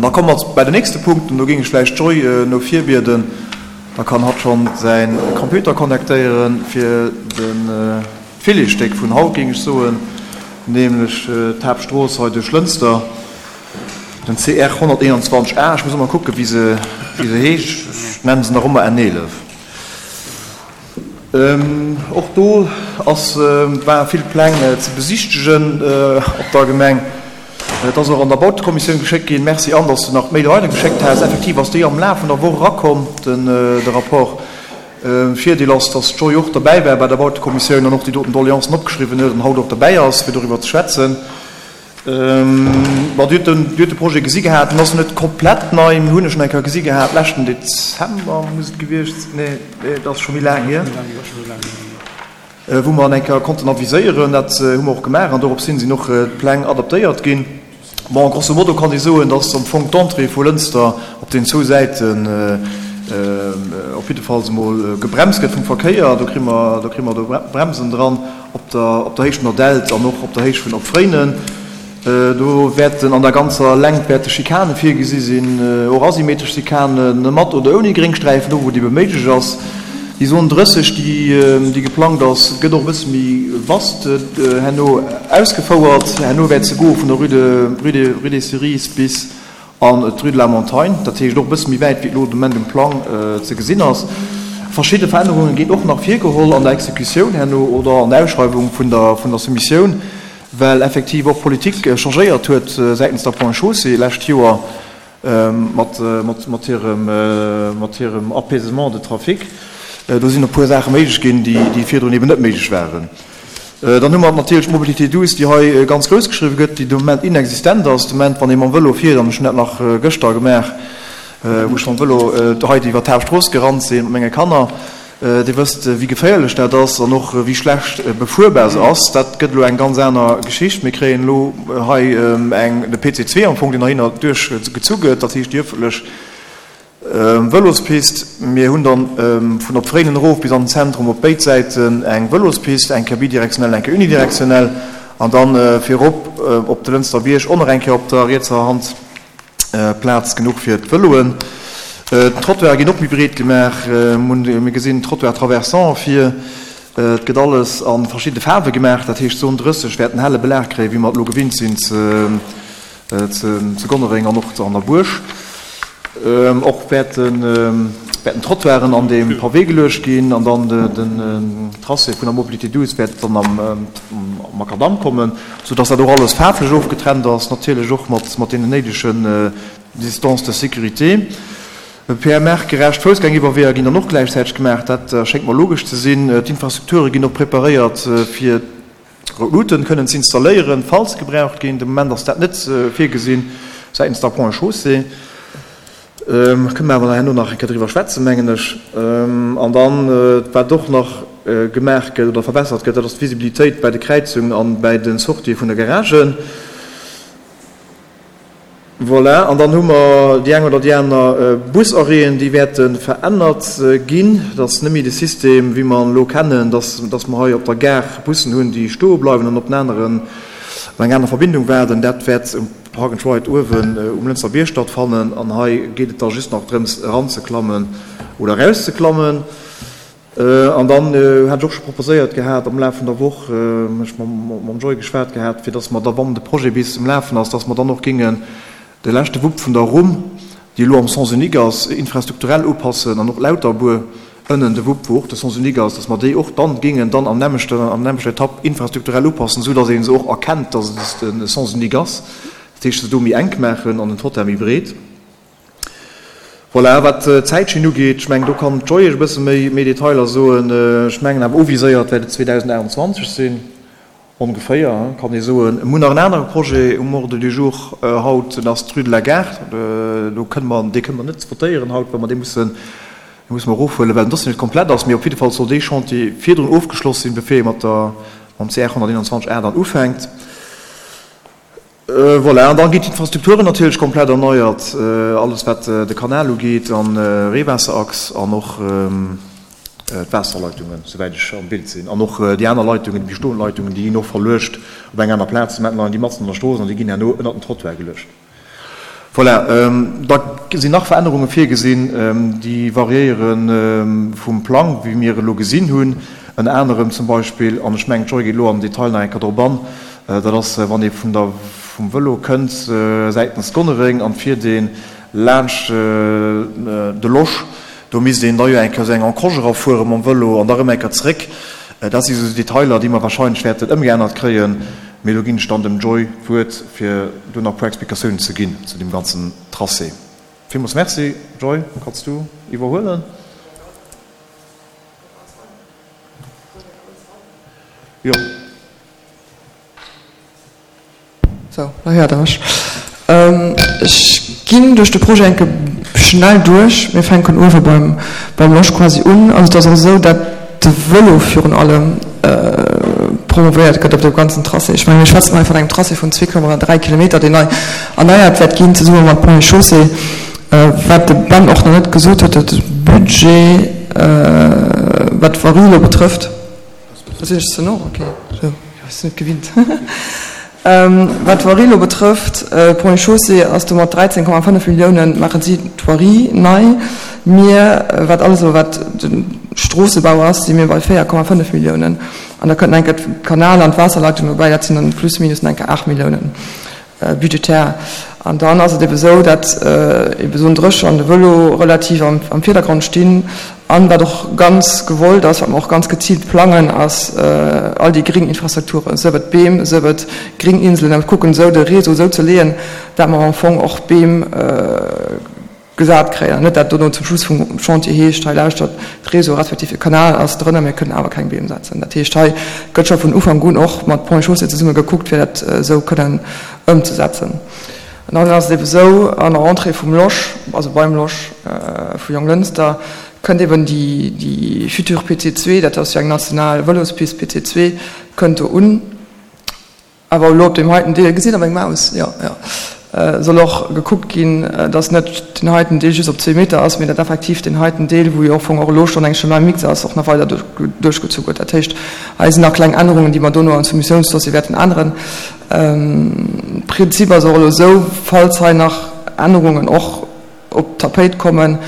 An da komme mer bei den nächste Punkt, an do géing ech vläicht d'Joy no vir bieden, da kann hatt schonn säi Computer connectéieren, fir de Filetsstéck vun haut, géing ech soen, nämlech d'Haaptstrooss hei duerch Lënster, den CR 121 A. Ech muss ëmmer kucken, wéi se heescht, ech nennen se nach ëmmer N11. Och do ass, ware vill Pläng ze besichtegen op der Gemeng. Et ass och an der Bautekommissioun geschéckt ginn. Merci Anne, dass du nach d'Mail weider geschéckt has. Effektiv ass déi am Laf vun der Woch erakomm, den de Rapport. Virdeel ass, dass d'Joy och derbäi war bei der Bautekommissioun an och déi doten Doleancen opgeschriwwen huet an haut och derbäi ass, fir doriwwer ze schwätzen. Bon, Dir hutt den, Dir hutt de Projet gesi gehat. En ass net komplett nei. Mir hunn e schonn eng Kéier gesi gehat, leschten Dezember muss et gewiescht, nee, et ass scho méi laang hier, wou mer en eng Kéier konnten aviséieren. Dat hu mer och gemaach an dorops hin sinn och d'Pläng adaptéiert ginn. Bon, grosso modo kann ee soen, dass am Fong d'Entrée vu Lënster op den zwou Säiten op jiddefalls emol gebremst gëtt vum Verkéier. Do kri mer, do kri mer do Bremsen dran. Op der op der Héicht vun der Delt an och op der Héicht vun Opfréinen. Do wäerten an der ganzer Längt wäerte Schikane virgesi sinn, och asymmetresch Schikanen, mat oder ouni Gréngsträifen, do wou et ebe méiglech ass. Déi Zone 30, déi déi geplangt ass, gëtt och e bësse méi vast herno ausgefouert. Herno wäert se goe vun der Rue de Rue de Rue des Cerises bis An d'Rue de la Montagne, dat heescht och e bësse méi wäit, wéi et elo de Moment um Plang ze gesinn ass. Verschidde Verännerunge ginn och nach virgeholl an der Exekutioun herno oder an der Ausschreiwung vun der vun der Soumissioun, well effektiv och d'Politik changéiert huet säitens der Ponts et Chaussées lescht Joer mat mat mat hirem mat hirem Apaisement de trafic. Do sinn e puer Saache méiglech ginn, déi déi virdrun eben net méiglech waren. Dann hu mer natierlech d'Mobilité douce, déi hei ganz grouss geschriwwen gëtt, déi de Moment inexistent ass. De Moment, wann ee mam Vëlo fiert, an ech hunn dat nach gëschter gemaach, wou ech mam Vëlo hei iwwer d'Haaptstrooss gerannt sinn mat menge Kanner, Dir wësst, wéi geféierlech dat ass an och wéi schlecht befuerbar se ass. Dat gëtt elo eng ganz aner Geschicht. Mir kréien elo hei eng, de PC2 am Fong, deen heihinner duerchgezu gëtt, dat heescht déi ëffentlech Vëlospist, Mir hunn dann vun op Fréinen erof bis an den Zentrum op béid Säiten eng Vëlospist, eng Kéier bidirektionell, eng Kéier unidirektionell, an dann virop op de Lënster Bierg och nach eng Kéier op der rietser Hand Plaz genuch fir d'Vëloen. D'Trottoire ginn och méi breet gemaach, mir gesinn Trottoir traversant vir. Et gëtt alles a verschidde Faarwe gemaach, dat heescht d'Zon 30 wäert en helle Belag kréien, wéi mer et elo gewinnt sinn ze Zu Gonnereng an och an der Buerg. Och wäerten Trottoiren an de Pavé geluecht ginn an dann den Tracé vun der Mobilité douce wäert dann am Makadamm kommen, sou dass dat och alles faarflech ofgetrennt ass, natierlech och mat deenen néidegen Distances de sécurité. PMR-gerecht Foussgängiwwerweeër ginn dann och gläichzäiteg gemaach, dat schéngt mer logesch ze sinn. D'Infrastrukture ginn och preparéiert fir Rout Luuten kënnen ze installéieren, falls se gebraucht ginn. De Moment ass dat net virgesinn säitens der Ponts et Chaussées. Kënne mer awer herno nach eng Kéier driwwer schwätzen, mengen ech. An dann, wat och nach gemaach gëtt oder verbessert gëtt, dat ass d'Visibilitéit bei de Kräizungen an bäi de Sortië vun de Garagen. Voilà, an dann hu mer déi eng oder déi aner Busarrêten, déi wäerte verännert ginn. Et ass net méi de System, wéi mer en elo kennen, dass, dass mer hei op der Gare Bussen hunn, déi stoe bleiwen an op en aneren, op eng aner Verbindung waarden. Dat wäert um Park and Ride uewen um Lënster Bierg stattfannen. An hei geet et da just nach drëms, eranzeklammen oder erauszeklammen. An dann hat ech och scho proposéiert gehat am Laf vun der Woch, ech mam Joy geschwat gehat, fir datt mer da, wann de Projet bis um Lafen ass, datt mer dann och géingen de leschte Wupp vun der Rumm, déi elo am Sens unique ass, infrastrukturell upassen an och Lauterbuer ënnen de Wupp, wou och de Sens unique ass, datt mer déi och dann géingen dann am nämmlechten, an der nämmlechter Etapp infrastrukturell upassen, esou datt ee se och erkennt, datt et de Sens unique ass. Dat heescht, se do méi enk maachen an den Trottoir méi breet. Voilà, wat d'Zäitschinn ugeet, ech mengen, do kann d'Joy Iech e bësse méi, méi Detailer soen. Ech mengen awer uviséiert wäert et 2028 sinn, ongeféier, kann ee soen. Mir hunn nach en anere Projet um Ordre du jour haut, dat ass d'Rue de la Gare. Do kënne mer, dee kënne mer net votéieren haut, well mer dee mussen, dee musse mer erofhuelen, well den Dossier net komplett ass. Mee op jidde Fall soll dee Chantier virdrun ofgeschloss sinn, bevir ee mat der, mam CR 121 A dann ufänkt. Voilà, an da ginn d'Infrastrukturen natierlech komplett erneiert, alles wat de Kanal ugeet an Reewaasserachs an och d'Waasserleitungen, souwäit ech am Bild sinn. An och déi aner Leitungen, déi bestoend Leitungen, déi ginn och verluecht op eng aner Plaz. De Moment leien déi matzen an der Strooss an déi ginn herno ënnert den Trottoir geluecht. Voilà, da sinn nach Verännerunge virgesinn, déi variéiere vum Plang, wéi mir elo gesinn hunn. Ënner anerem zum Beispill, an ech mengen, d'Joy geet elo am Detail nach eng Kéier drop an, dat ass, wann ee vun der, vum Vëlo kënnt säitens Gonnereng an fiert ee laanscht de Losch, do misst een da jo eng Kéier esou eng Encroche erafuere mam Vëlo an da erëm eng Kéier zeréck. Dat si sou Detailer, déi mer wahrscheinlech wäerten ëmgeännert kréien. Mee do ginn ech dann dem Joy d'Wuert, fir do nach e puer Explikatiounen ze ginn zu deem ganzen Tracé. Villmools Merci. Joy, kanns du iwwerhuelen? Jo. Sou, da héiert Der mech. Ech ginn duerch de Projet enke schnell duerch. Mir fänken uewe beim, beim Losch quasi un. Also et ass och esou, dat de Vëlo virun allem promovéiert gëtt op deem ganzen Tracé. Ech mengen, mir schwätzen hei vun engem Tracé vun 2,3 Kilometer, deen nei erneiert wäert ginn, zesumme mat Ponts et Chaussées. Wat de Ben och nach net gesot huet, dat de Budget, wat d'Voirie elo betrëfft, Do sinn ech ze no? Ok, sou, ech sinn net gewinnt. Wat d'Voirie elo betrëfft, Ponts et Chaussées ass do mat 13,5 Milliounen, maachen si d'Voirie nei. Mir, wat alles elo wat de Stroossebau ass, si mir bei 4,5 Milliounen. An da kënnt nach eng Kéier d'Kanal an d'Waasserleitung dobäi, dat sinn dann plus minus nach eng Kéier 8 Milliounen. Budgetär. An dann ass et ebe sou, datt ebe Zone 30 an de Vëlo relativ am Virdergrond stinn. An wat och ganz gewollt ass, wat mer och ganz geziilt plangen, ass all déi gring Infrastrukturen, sief et Beem, sief et gring Inselen, a mir kucken esou de Réseau esou ze leeën, dat mer am Fong och Beem gesat kréien. An net dat dono zum Schluss vum Chantier heescht, hei lauschtert, de Réseau respektiv de Kanal ass drënner, mir kënnen awer keng Beem setzen. Dat heescht, hei gëtt scho vun Ufank un och mat Ponts et Chaussées zesumme gekuckt, fir dat esou kënnen ëmzesetzen. An dann ass et ebe sou, an der Entrée vum Losch, also beim Losch vu Jonglënster, kënnt eben déi, déi future PC2, dat ass jo eng national Vëlospist, PC2, kënnt do un. Awer elo op deem heiten Deel, gesitt Der meng Maus? Jo, jo. Soll och gekuckt ginn, dass net deen heiten Deel just op zwee Meter ass, mee dat effektiv deen heiten Deel, wou jo am Fong och elo schonn eng Chemin mixte ass, och nach weider duerchgezu gëtt. Dat heescht, hei sinn nach kleng Ännerungen, déi mer dono am Soumissiounsdossier wäerten änneren. Prinzip ass och elo esou, falls hei nach Ännerungen och op d'Tapéit kommen.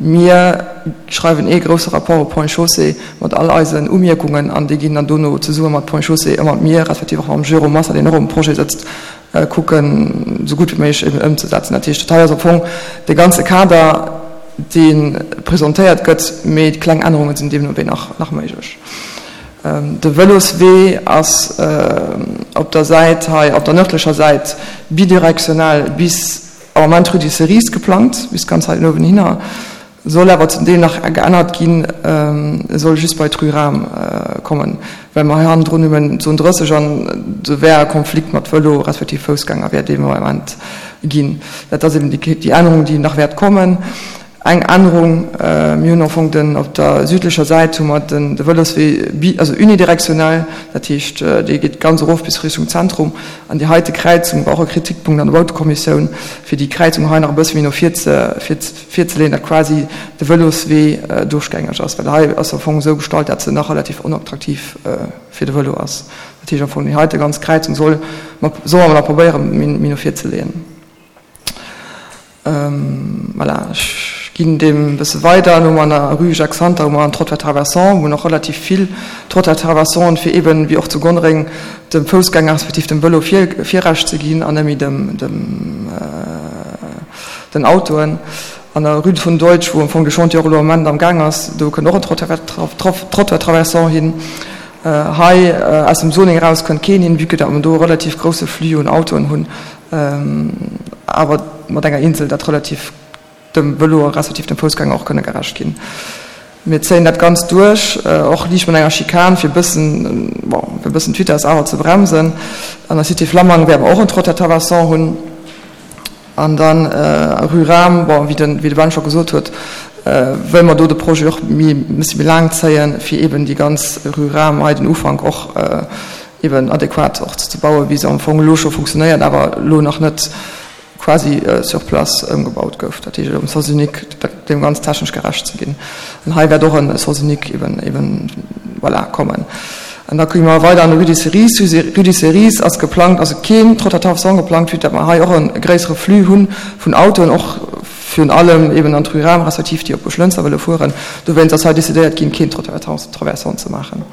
Mir schreiwen ee grousse Rapport op Ponts et Chaussées mat all eisen Umierkungen an déi ginn dann dono zesumme mat Ponts et Chaussées a mat mir, respektiv och mam Jérôme Massa, deen och um Projet sëtzt, kucken, esou gutt wéi méiglech eben ëmzesetzen. Dat heescht, dat hei ass am Fong de ganze Kader, dee presentéiert gëtt, mee kleng Ännerunge sinn deemno wéi nach nach méiglech. De Vëloswee ass op der Säit hei, op der nërdlecher Säit bidirektional bis Am Moment Rue des Cerises geplangt, bis ganz hei uewen hinner, soll awer zum Deel nach geännert ginn, e soll just bei d'Rue Rahm kommen, well mer hei hannendrun nëmmen d'Zon 30 an do wär e Konflikt mat Vëlo respektiv Foussgänger wäert dee Moment ginn. Dat ass eben déi Ännerung, déi nach wäert kommen. Eng Ännerung, mir hunn am Fong den, op der südlecher Säit hu mer den, de Vëloswee bi, also unidirektionell, dat heescht, dee geet ganz erof bis Richtung Zentrum. An déi heite Kräizung war och e Kritikpunkt an der Bautekommissioun, fir déi Kräizung hei nach e bësse méi no vir ze, vir, virzeleeën, datt quasi de Vëloswee duerchgängeg ass, well hei ass am Fong esou gestallt, datt se nach relativ onattraktiv fir de Vëlo ass. Dat heescht am Fong, déi heite ganz Kräizung soll mer, solle mer nach probéieren, méi, méi no vir ze leeën. Voilà, ech ginn deem e bësse weider. Elo hu mer an der Rue Jacques Santer hu mer en Trottoir traversant, wou nach relativ vill Trottoir traversanten, fir eeben, wéi och zu Gonnereng, dem Foussgänger respektiv dem Vëlo Virrecht ze ginn an net méi dem, dem, den Autoen. An der Rue von Deutsch, wou am Fong de Chantier och elo am Moment am Gaang ass, do kënnt och en Trottoir traversant hin. Hei aus dem Zoning eraus kënnt keen hin, vue que datt mer do e relativ grousse Flux un Autoen hunn. awer mat enger Insel, dat relativ dem Vëlo respektiv dem Foussgänger och kënne gerecht ginn. Mir zéien dat Ganzt duerch, och liicht mat enger Schikan, fir e bëssen, bon, fir e bëssen d'Vitesse awer ze bremsen. An der Cité Flammang wäerte mer och en Trottoir traversant hunn. An dann Rue Rahm, bon, wéi de, wéi de Ben scho gesot huet, wëlle mer do de Projet och méi, e bësse méi laang zéien, fir eeben déi ganz Rue Rahm hei, den Ufank och eben adequat och ze bauen, wéi se am Fong elo scho funktionéiert, awer elo nach net quasi sur place ëmgebaut gouf, dat heescht um Sens unique, deem ganz technesch gerecht ze ginn. An hei wäert och e Sens unique eben, eben, voilà, kommen. An da gi mer weider an de Rue des Cerises. Rue des Cerises ass geplangt, also keen Trottoir traversant geplangt, vue datt mer hei och e gréissere Flux hu vun Autoen, och virun allem eben an d'Rue Rahm respektiv déi op Buerglënster wëlle fueren. Dowéinst ass hei decidéiert ginn, keen Trottoir traversant ze maachen.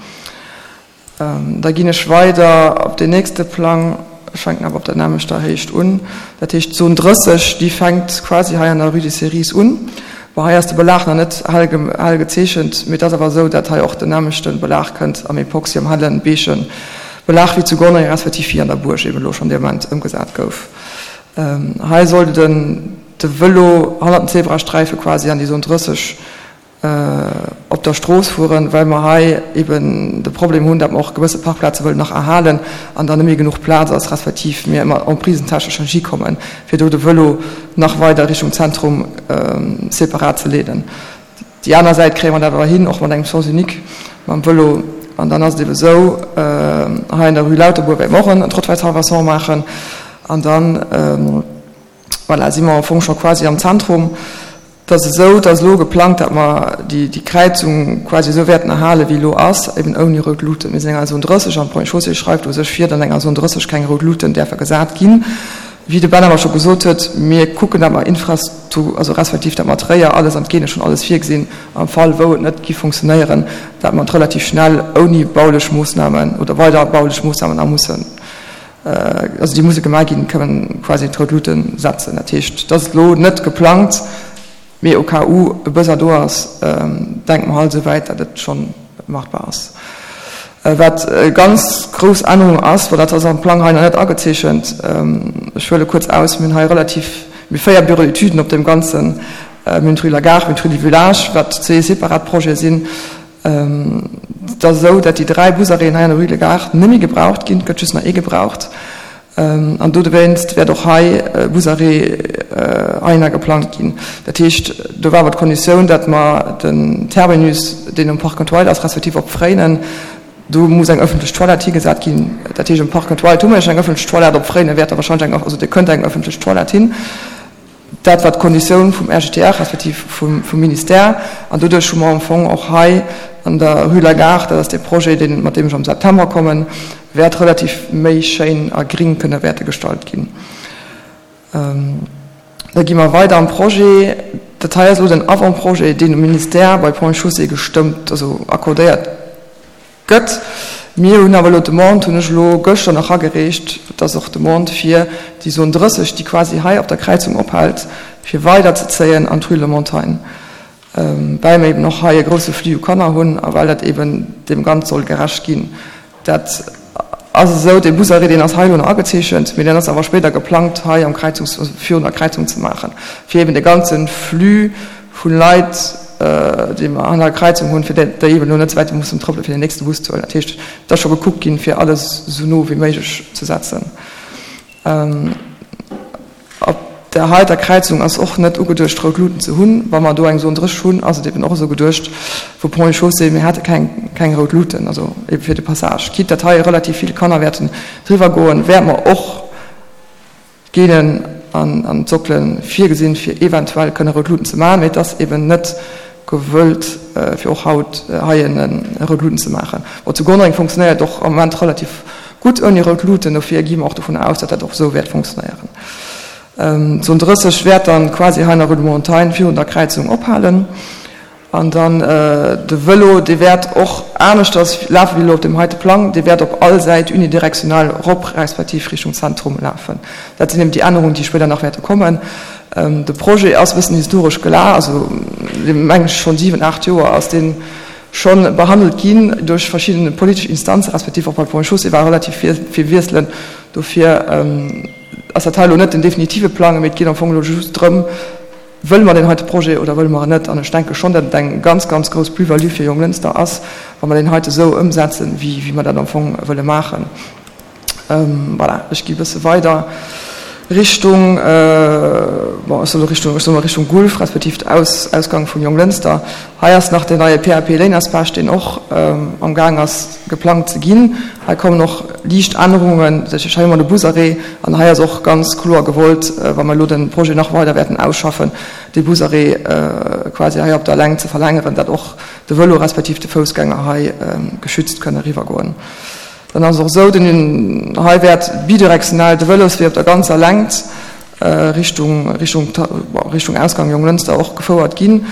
Da ginn ech weider op deen nächste Plang. Ech fänken awer op der nämmlechter Héicht un. Dat heescht, d'Zon 30, déi fänkt quasi hei an der Rue des Cerises un. Bon, hei ass de Belag nach net hell gezeechent, mee et ass awer esou, dat hei och den nämmlechte Belag kënnt am Epoxy, am hellen, beige Belag wéi zu Gonnereng respektiv wéi an der Buerg eben elo schonn dee Moment ëmgesat gouf. Hei soll den de Vëlo hannert den Zebrasträife quasi an déi Zon 30 op der Strooss fueren, well mer hei eben de Problem hunn, datt mer och gewësse Parkplaze wëllen nach erhalen an dann net méi genuch Plaz ass, respektiv mir ëmmer emprisentechnesch net hikommen, fir do de Vëlo nach weider Richtung Zentrum separat ze leeden. Déi aner Säit kréie mer dat awer hin, och mat engem Sens unique mam Vëlo. An dann ass et ebe sou, hei an der Rue Lauterbourg wäerte mer och en Trottoir traversant maachen an dann, voilà, si mer am Fong scho quasi am Zentrum. Et ass esou, et ass elo geplangt, datt mer déi Kräizung quasi esou wäerten erhalen, wéi elo ass, eben ouni rout Luuten. Mir sinn enger Zone 30 an d'Ponts et Chaussées schreift u sech vir, datt an enger Zone 30 keng rout Luuten däerfe gesat ginn. Wéi de Ben awer scho gesot huet, mir kucken, datt mer Infrastru-, also respektiv datt mer d'Réier, alles an d'Geene schonn alles virgesinn, am Fall wou et net giff funktionéieren, datt mer et relativ schnell ouni baulech Moossnamen oder weider baulech Moossnamen a mussen also déi musse gemaach ginn, kënnen quasi d'rout Luute setzen. Dat heescht, et ass elo net geplangt, mee au cas où e Besoin do ass, denke mer halt esou wäit, datt et scho machbar ass. Wat e ganz grouss Ännerung ass, well dat ass am Plang hei nach net agezeechent, ech huele kuerz aus, mir hunn hei relativ, mir hu 4 Bureaux d'études op deem Ganzen, mir hunn d'Rue Lagarde, mir hunn d'Rue du Village, wat zwee separat Projete sinn, Et ass esou, datt déi 3 Busarrêten hei an der Rue de Gare net méi gebraucht ginn. Et gëtt just nach ee gebraucht. An dodowéinst wäert och hei e Busarrêt heihinner geplangt ginn. Dat heescht, do war awer d'Konditioun, datt mer den Terminus, deen um Park and Ride ass, respektiv op Fréinen, do muss eng ëffentlech Toilette higesat ginn. Dat heescht, um Park and Ride hu mer jo schonn eng ëffentlech Toilette, op Fréinen wäert da wahrscheinlech eng, also do kënnt eng ëffentlech Toilette hin. Dat war d'Konditioun vum RGTR respektiv vum Ministère. An doduerch hu mer am Fong och hei an der Rue Lagarde, dat ass dee Projet, deen, mat deem ech am September kommen, wäert relativ méi schéin a gring kënne wäerte gestalt ginn. Da gi mer weider am Projet. Dat hei ass elo den Avant-projet, deen um Ministère bei Ponts et Chaussées gestëmmt, also accordéiert Gëtt. Mir hunn awer elo d'Demande, hunn ech elo gëschter nach agereecht, et ass och d'Demande fir déi Zone 30, déi quasi hei op der Kräizung ophält, fir weiderzezéien an d'Rue de la Montagne, well mir eben och hei e grousse Flux u Kanner hunn a well dat eben deem Ganz soll gerecht ginn. Dat ass esou, dee Busarrêt, deen ass hei elo nach agezeechent, mee deen ass awer spéider geplangt hei am Kräizungs-, also virun der Kräizung ze maachen, fir eben de ganze Flux vu Leit, déi mer an der Kräizung hunn, fir déi eben elo net ze wäit mussen trëppelen, fir den nächste Bus ze huelen. Dat heescht, et ass scho gekuckt ginn, fir alles esou no wéi méiglech ze setzen. Op där heiter Kräizung ass och net ugeduecht, rout Luuten ze hunn. Wa mer do eng Zone 30 hunn, ass et eben och esou geduecht vu Ponts et Chaussées, mir hate keng, keng rout Luuten, also ebe fir de Passage. Quitte datt hei relativ vill Kanner wäerten driwwer goen, wäerte mer och, D'Gelen an d'Sockele virgesinn, fir eventuell kënne rout Luuten ze maachen, mee et ass eben net gewëllt, fir och haut hei rout Luuten ze maachen. Bon, zu Gonnereng funktionéiert och am Moment relativ gutt ouni rout Luuten, dofir gi mer och dovun aus, datt dat och esou wäert funktionéieren. D'Zon 30 wäert dann quasi hei an der Rue de Montagne virun der Kräizung ophalen. An dann de Vëlo, dee wäert och aneschters lafe wéi elo op deem heite Plang. Dee wäert op all Säit unidirektional erop respektiv Richtung Zentrum lafen. Dat sinn eben déi Ännerungen, déi spéider nach wäerte kommen. De Projet ass e bëssen historesch gela, also dee mengen ech schonn 7, 8 Joer ass dee scho behandelt ginn duerch verschidde politesch Instanzen, respektiv och bei Ponts et Chaussées war relativ vill Wiesselen. Dofir ass dat hei elo net den definitive Plang, mee et geet am Fong elo just drëm, Wëlle mer deen heite Projet oder wëlle mer en net? An ech denke schonn, datt et eng ganz, ganz grouss Plus-value fir Jonglënster ass, wa mer deen heite esou ëmsetzen, wéi mer dat am Fong wëlle maachen. Voilà, ech gi e bësse weider. Richtung, bon, ech soe Richtung, ech soe mol Richtung Gulf, respektiv Aus, Ausgang vum Jonglënster. Hei ass nach deen neie PAP Léinersbech, deen och am Gaang ass geplangt ze ginn. Hei kommen och liicht Ännerungen, dat heescht hei hu mer de Busarrêt an hei ass och ganz kloer gewollt, wa mer elo de Projet nach weider wäerten ausschaffen, dee Busarrêt quasi hei op der Längt ze verlängeren, dat och de Vëlo respektiv de Foussgänger hei geschützt kënne eriwwergoen. Dann ass et och esou, den hei wäert bidirektional de Vëloswee op der ganzer Längt Richtung, Richtung, Richtung Ausgang Jonglënster och gefouert ginn.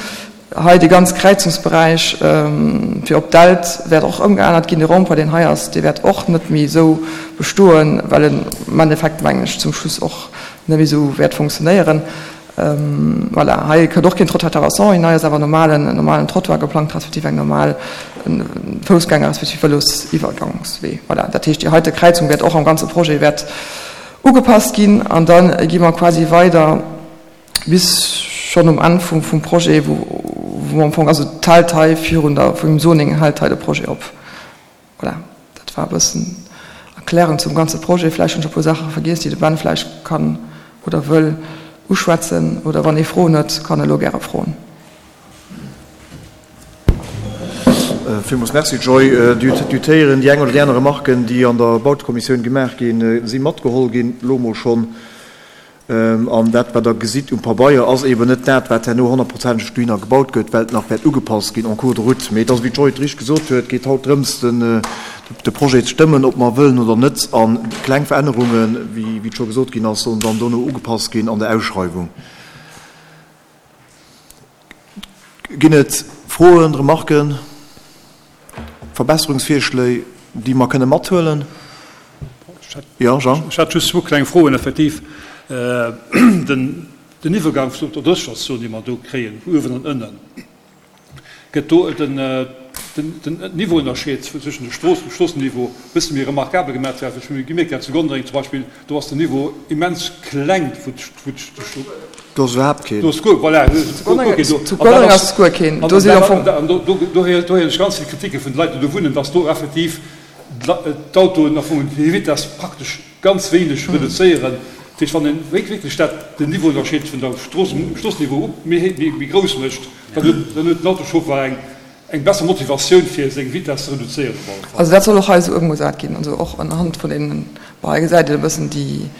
Hei dee ganz Kräizungsberäich fir op d'Delt wäert och ëmgeännert ginn. De Rond-point, deen hei ass, dee wäert och net méi esou bestoen, well en am Endeffekt, mengen ech, zum Schluss och net méi esou wäert funktionéieren. Voilà, hei kënnt och keen Trottoir terrassant hin, hei ass awer normalen, en normalen Trottoir geplangt, respektiv eng normal Foussgänger respektiv Vëlosiwwergangswee. Voilà, dat heescht, déi heite Kräizung wäert och am ganze Projet wäert ugepasst ginn an da gi mer quasi weider bis schonn um Enn vum, vum Projet, wou, wou am Fong, also et hält hei virun der, vum Zoning hält hei de Projet op. Voilà, dat war e bëssen Erklärung zum ganze Projet. Vläicht hunn ech e puer Saache vergiess, déi de Ben vläicht kann oder wëll uschwätzen. Oder wann ee Froen huet, kann e elo gäre froen. Villmools Merci, Joy. Dir héieren, déi eng oder déi aner Remarken, déi an der Bautekommissioun gemaach ginn, si matgeholl ginn, elo emol schonn. An dat, wat Der gesitt um Pabeier, ass eeben net dat, wat herno honnertprozenteg dohinner gebaut gëtt, well et nach wäert ugepasst ginn en cours de route. Mee et ass, wéi d'Joy et richteg gesot huet, et geet haut drëms, de Projet ze stëmmen, ob mer wëllen oder net. A kleng Verännerungen, wéi et scho gesot ginn ass, sollen dann dono ugepasst ginn an der Ausschreiwung. Ginn et Froen, Remarken, Verbesserungsvirschléi, déi mer kënne mathuelen? Jo, Jean? Ech hätt just zwou kleng Froen. Effektiv, den Iwwergang vun der Drëscherszon, déi mer do kréien, vu uewen an ënnen, gëtt do den Niveauënnerscheed zwëschen de Stroossen, dem Stroossenniveau, e bësse méi remarkabel gemaach? Well ech hu gemierkt, dat zu Gondreng zum Beispill, do ass den Niveau immens kleng, wou Do ass iwwerhaapt keen. Do ass guer, voilà, guer keen do. Zu Gondreng ass guer keen. Do sinn am Fong. An do héieren ech ganz vill Kriticke vun de Leit, déi do wunnen, dass do effektiv d'Autoen am Fong hir Vitess praktesch ganz wéineg reduzéieren. Dat heescht, wann een wierklech dat, den Niveauënnerscheed vun der Strooss, um Stroossenniveau méi, méi grouss mécht, dann huet, dann huet den Autoschauffer eng, eng besser Motivatioun fir seng Vitess ze reduzéieren op alle Fall. Also dat soll och hei esou ëmgesat ginn, also och anhand vun deenen, bon hei gesäit een e bëssen déi,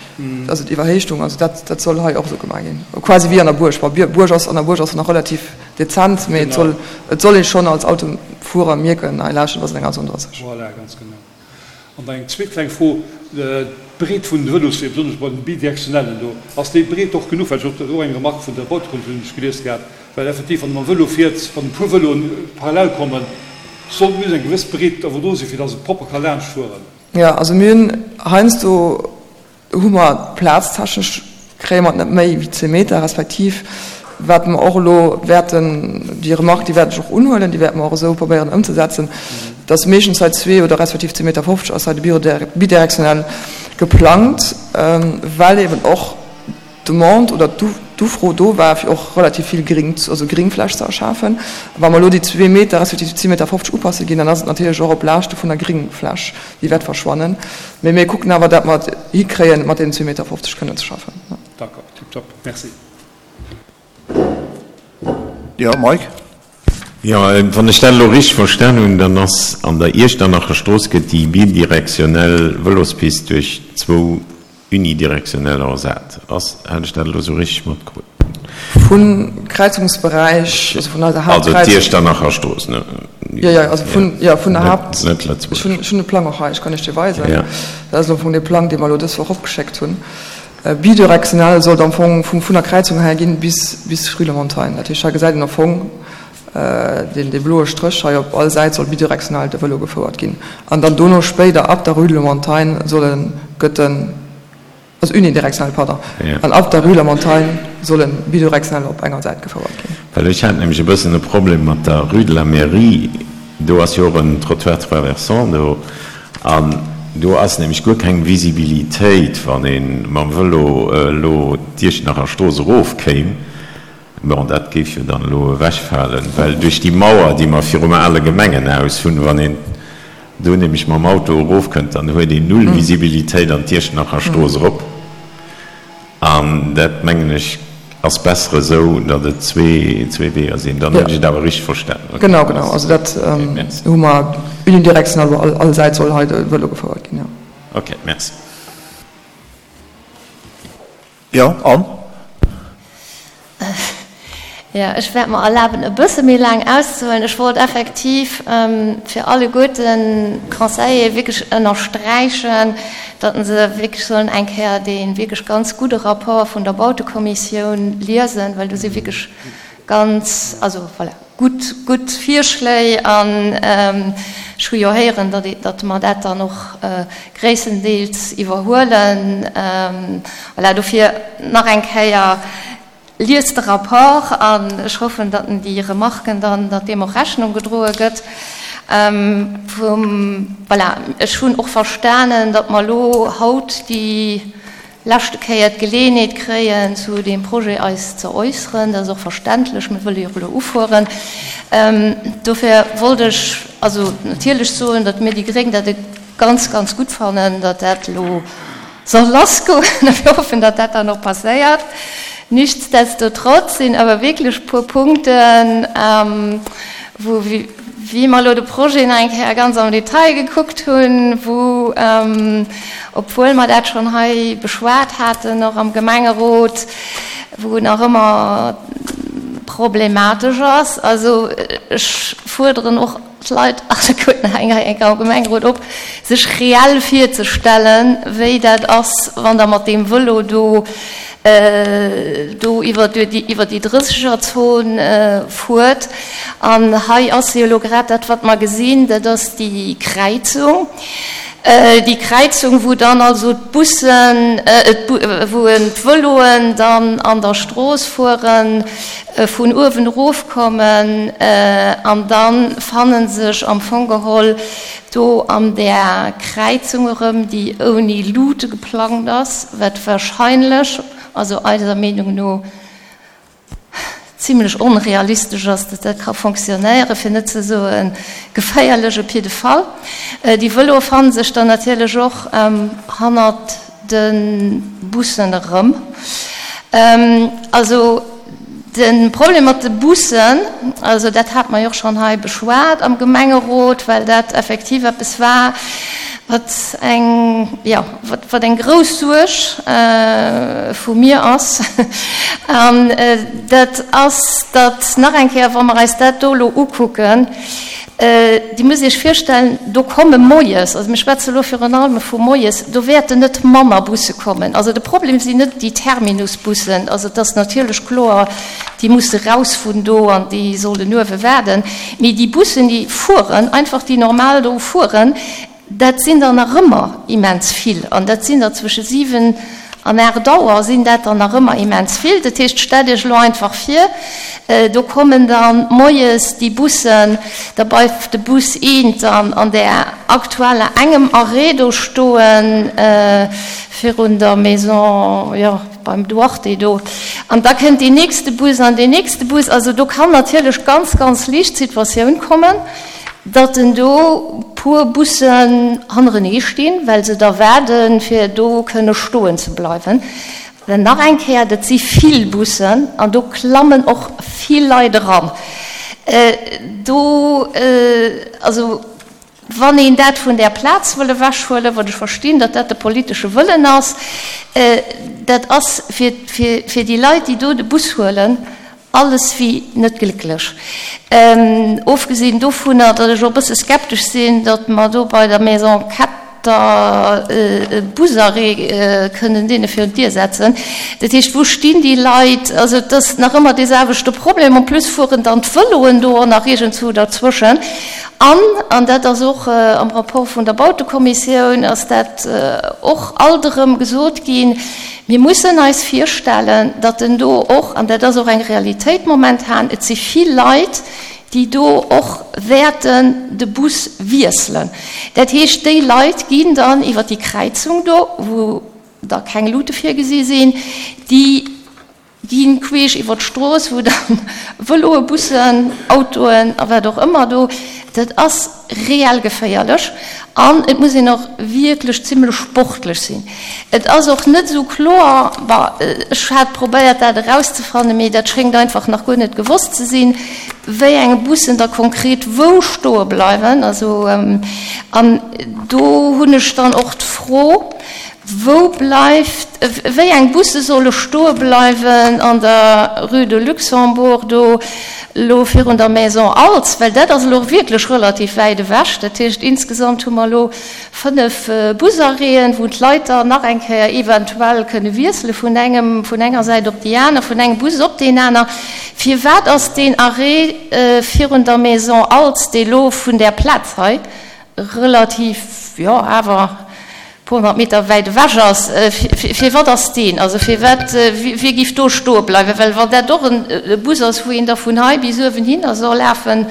also d'Iwwerhéichtung, also dat, dat soll hei och esou gemaach ginn, quasi wéi an der Buerg. Bon, Buerg ass, an der Buerg ass se nach relativ dezent, mee et soll, et soll ee schonn als Autofuerer mierken, hei lauschtert, ass et eng A37. Voilà, ganz genau. An dann eng zweet kleng Fro, D'Breet vun de Vëlosweeër, besonnesch bei den bidirektionellen do, ass déi Breet och genuch? Well ech hunn och eng Remark vun der Bautekommissioun hunn ech gelies gehat, well effektiv wann e mam Vëlo fiert, wann e puer Vëloen parallel kommen, sollt muss eng gewëss Breet awer do sinn, fir datt e propper ka laanscht fueren. Jo, also mir hunn heiansdo hu mer plaztechnesch kréie mer et net méi wéi zwee Meter, respektiv wat mer och elo wäerten, déi Remark, déi wäert ech och unhuelen, déi wäerte mer och esou probéieren ëmzesetzen, dass meeschtens hei zwee oder respektiv zwee Meter 50 ass hei de bidirektionell geplangt, well eben och d'Demande oder d'Ufro do war, fir och relativ vill Gring, also Gringfläch ze erschafen. Wa mer elo déi zwee Meter respektiv déi zwee Meter 50 upasse ginn, dann ass et natierlech och op Laaschte vun der Gringfläch. Déi wäert verschwannen. Mee mir kucken awer, dat mer et hikréien, mat deenen 2,50 Meter kënnen ze schaffen. D'accord, tiptop, merci. Jo, Mike? Jo, wann ech dat elo richteg verstan hunn, dann ass an der Iechternacher Strooss gëtt déi bidirektionell Vëlospist duerch zwou Unidirektionell ersat ass. Hat ech dat elo sou richteg matkrut? Vun Kräizungsberäich, also vun eiser Haaptkräizung. Also d'Iechternacher Strooss, ne? Jo, jo, also vun, jo, vun der Haapt. Net Lëtzebuerg. Ech hunn, ech hunn de Plang och hei, ech kann Iech dee weisen. Jo. Dat ass am Fong dee Plang, dee mer elo dës Woch opgeschéckt hunn. Bidirektionell sollt am Fong vum, vun der Kräizung her ginn bis, bis Rue de Montagne. Dat heescht, hei gesäit een am Fong deen, dee bloe Stréch hei op all Säit soll bidirektional de Vëlo gefouert ginn. An dann dono spéider ab der Rue de la Montagne soll en, gëtt en, also unidirektionell, pardon, an ab der Rue de la Montagne soll en bidirektionell op enger Säit gefouert ginn. Well ech hat nämlech e bëssen e Problem mat der Rue de la Mairie, do ass jo och en Trottoir traversant do, an do ass nämlech guer keng Visibilitéit, wann ee mam Vëlo elo d'Iechternacher Strooss erofkéim. Bon, dat géif jo dann elo ewechfalen, well duerch déi Mauer, déi mer virum ale Gemengenhaus hunn, wann een do nämlech mam Auto erofkënnt, dann huet een null Visibilitéit an d'Iechternacher Strooss erop. An dat, mengen ech, ass besser esou, datt et zwee Weeër sinn. Dann hunn ech et awer richteg verstanen. Okay, Genau, genau. Also dat hu mer unidirectional, wou all Säit soll hei de Vëlo gefouert ginn, jo. Okay, merci. Jo, an? Jo, ech wäert mer erlaben, e bësse méi laang auszehuelen. Ech wollt effektiv fir alleguerten d'Conseiller wierklech ënnersträichen, datt se wierklech sollen eng Kéier dee wierklech ganz gudde Rapport vun der Bautekommissioun liesen, well do si wierklech ganz, also voilà, gutt, gutt Virschléi. An ech hu jo héieren, datt, datt mer dat dann och gréisstendeels iwwerhuelen. Voilà, dofir nach eng Kéier, Liest de Rapport an ech hoffen, datt en déi Remarken dann, datt deem och Rechnung gedroe gëtt. Vum, voilà, ech hunn och verstanen, datt mer elo haut déi leschte Kéier d'Geleeënheet kréien, zu deem Projet eis ze äusseren. Dat ass och verständlech, mir wëlle jo elo ufueren. Dofir wollt ech also natierlech soen, datt mir déi Gréng dat e ganz, ganz gutt fannen, datt dat elo soll lassgoen a mir hoffen, datt dat dann och passéiert. Nichtsdestotrotz sinn awer wierklech e puer Punkten, wou, wéi mer elo de Projet nach eng Kéier ganz am Detail gekuckt hunn, wou, obwuel mer dat schonn hei beschwat haten, och am Gemengerot, wou nach ëmmer problematesch ass. Also ech fuerderen och d'Leit alleguerten hei eng Kéier am Gemengerot op, sech reell virzestellen, wéi dat ass, wann Der mat deem Vëlo do do iwwer déi Drëssegerzon fuert. An hei ass jo elo grad dat, wat mer gesinn, dat ass déi Kräizung. Déi Kräizung, wou dann also d'Bussen, wou d'Vëloen dann an der Strooss fueren, vun uewen erofkommen an da fanne sech am Fong geholl do an där Kräizung erëm, déi ouni Luute geplangt ass, wat wahrscheinlech, also eiser Meenung no, zimlech onrealistesch ass, datt dat ka fonctionnéieren, fir net ze soe geféierlech op jidde Fall. Déi Vëloe fanne sech dann natierlech och hannert de Bussen erëm. Also de Problem mat de Bussen, also dat hate mer jo och schonn hei beschwat am Gemengerot, well dat effektiv eppes war, wat eng, jo, wat eng grouss Suerg vu mir ass. An dat ass, datt nach eng Kéier, wa mer eis dat do elo ukucken, Dir musst Iech virstellen, do komme moies, also mir schwätze elo virun allem vu moies, do wäerten net manner Busse kommen. Also de Problem sinn net déi Terminusbussen, also et ass natierlech kloer, déi musse raus vun do an déi sollen uewe waarden, mee déi Bussen, déi fueren, einfach déi normal do fueren, Dat sinn der nach ëmmer immens vill. An dat sinn der zwësche 7 an 8 Auer sinn dat der nach ëmmer immens vill. Dat heescht, stellt Iech elo einfach vir, do kommen da moies déi Bussen, da bleift de Bus eent dann an där aktueller engem Arrêt do stoen, virun der Maison, jo, beim Duarte do. An da kënnt deen nächste Bus an deen nächste Bus. Also do kann natierlech ganz, ganz liicht d'Situatioun kommen, datt en do puer Bussen hannerenee stinn, well se da waarden, fir do kënne stoen ze bleiwen. Well nach eng Kéier, dat si vill Bussen an do klammen och vill Leit eran. Do, also wann een dat vun där Plaz wëll ewechhuelen, wat ech verstinn, datt dat de politesche Wëllen ass, dat ass fir déi Leit, déi do de Bus huelen, Alles wéi net glécklech. Ofgesinn dovunner, datt ech och e bësse skeptesch sinn, datt mer do bei der Maison Ketter e Busarrêt kënnen deene virun d'Dier setzen. Dat heescht, wou stinn déi Leit? Also et ass nach ëmmer dee selwechte Problem. En plus fueren dann d'Vëloen do och nach iergendzwou derzwëschen. An, an dat ass och am Rapport vun der Bautekommissioun ass dat och alt erëm gesot ginn, Mir mussen eis virstellen, datt en do och, an dat ass och eng Realitéit momentan, et si vill Leit, déi do och wäerten de Bus wiesselen. Dat heescht, déi Leit ginn dann iwwer déi Kräizung do, wou da keng Luute virgesi sinn, déi gi queesch iwwer d'Strooss, wou dann Vëloe, Bussen, Autoen a wat och ëmmer do. Dat ass reell geféierlech an et muss een och wierklech zimlech sportlech sinn. Et ass och net esou kloer, bon, ech hat probéiert dat erauszefannen, mee dat schéngt einfach nach guer net gewosst ze sinn, wéi eng Bussen da konkret wou stoe bleiwen. Also, an do hunn ech dann och d'Fro, Wou bleift, wéi eng Busse solle stoe bleiwen an der Rue de Luxembourg, do elo virun der Maison Als, well dat ass elo wierklech relativ wäit ewech. Dat heescht, insgesamt hu mer elo 5 Busarrêten, wou d'Leit dann nach eng Kéier eventuell kënne wiessele vun engem, vun enger Säit op déi aner, vun engem Bus op deen aner. Firwat ass deen Arrêt virun der Maison Als, dee lo vun där Plaz hei relativ, jo awer puer honnert Meter wäit ewech ass, firwat ass deen, also firwat, wie giff do stoe bleiwen? Well wann dat och e Bus ass, wou een da vun hei bis uewen hinner soll lafen,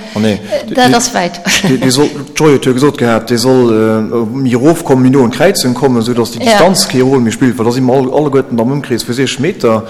dat ass wäit. Dee soll, d'Joy huet jo gesot gehat, dee soll méi erofkommen, méi no un d'Kräizung kommen, esou datt déi Distanz kee Rôle méi spillt, well da si mer alleguerten am Ëmkrees vu 60 Meter.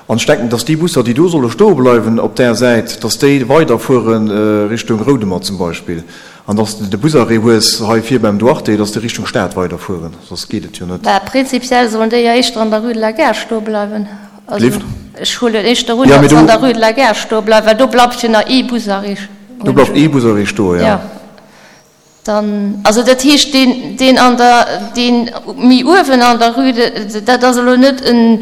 An ech denken, datt déi Busser, déi do solle stoe bleiwen op där Säit, datt déi weiderfuere Richtung Roudemer zum Beispill. An dass de de Busarrêt hues hei vir beim Duarte, dass de Richtung Stad weiderfueren, soss geet et jo net. Bah, prinzipiell sollen déi jo éischter an der Rue de la Gare stoe bleiwen. Also ech huelen éischter un, datt se an der Rue de la Gare stoe bleiwen, well do bleift jo nach ee Busarrêt. Do bleift ee Busarrêt stoen, jo. Dann, also dat heescht, deen, deen an der, deen méi uewen an der Rue de, dat ass elo net en,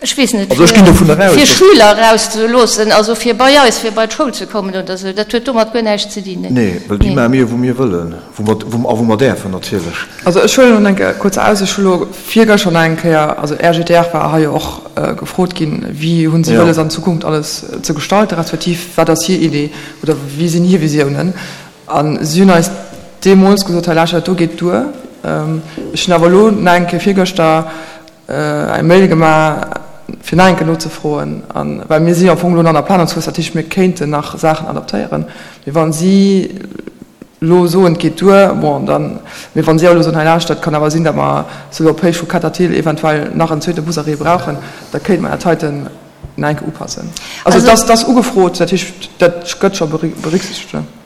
ech weess net, Also ech ginn dovun eraus, fir Schüler erauszeloossen, also fir bei eis, fir bei d'Schoul ze kommen oder esou, dat huet domat guer näischt ze dinn. Nee, well déi maache mir, wou mir wëllen, wou mer, wou, a wou mer däerfen natierlech. Also ech huelen elo eng Kéier kuerz aus, ech hu elo virgëschter nach eng Kéier, also RGDR war hei jo och gefrot ginn, wéi hu si wëlles an Zukunft alles ze gestalten, respektiv wat ass hir Idee oder wéi sinn hir Visiounen. A si hunn eis deemools gesot, hei lauschtert, dat do geet duer. Ech hunn awer elo nach eng Kéier virgëschter eng Mail gemaach, fir nach eng Kéier nozefroen, a well mir si jo am Fong elo nach an der Planungsphas, dat heescht, mir kéinten nach Saachen adaptéieren. Mee wa si elo soen, et geet duer, bon, dann, mee wa si awer elo soen, hei lauschtert, et kann awer sinn, datt mer souguer op Héicht vu Ketterthiel eventuell nach en zweete Busarrêt brauchen, da kéinte mer dat heiten nach eng Kéier upassen. Also et ass ugefrot, dat heescht, dat gëtt scho berücksichtegt.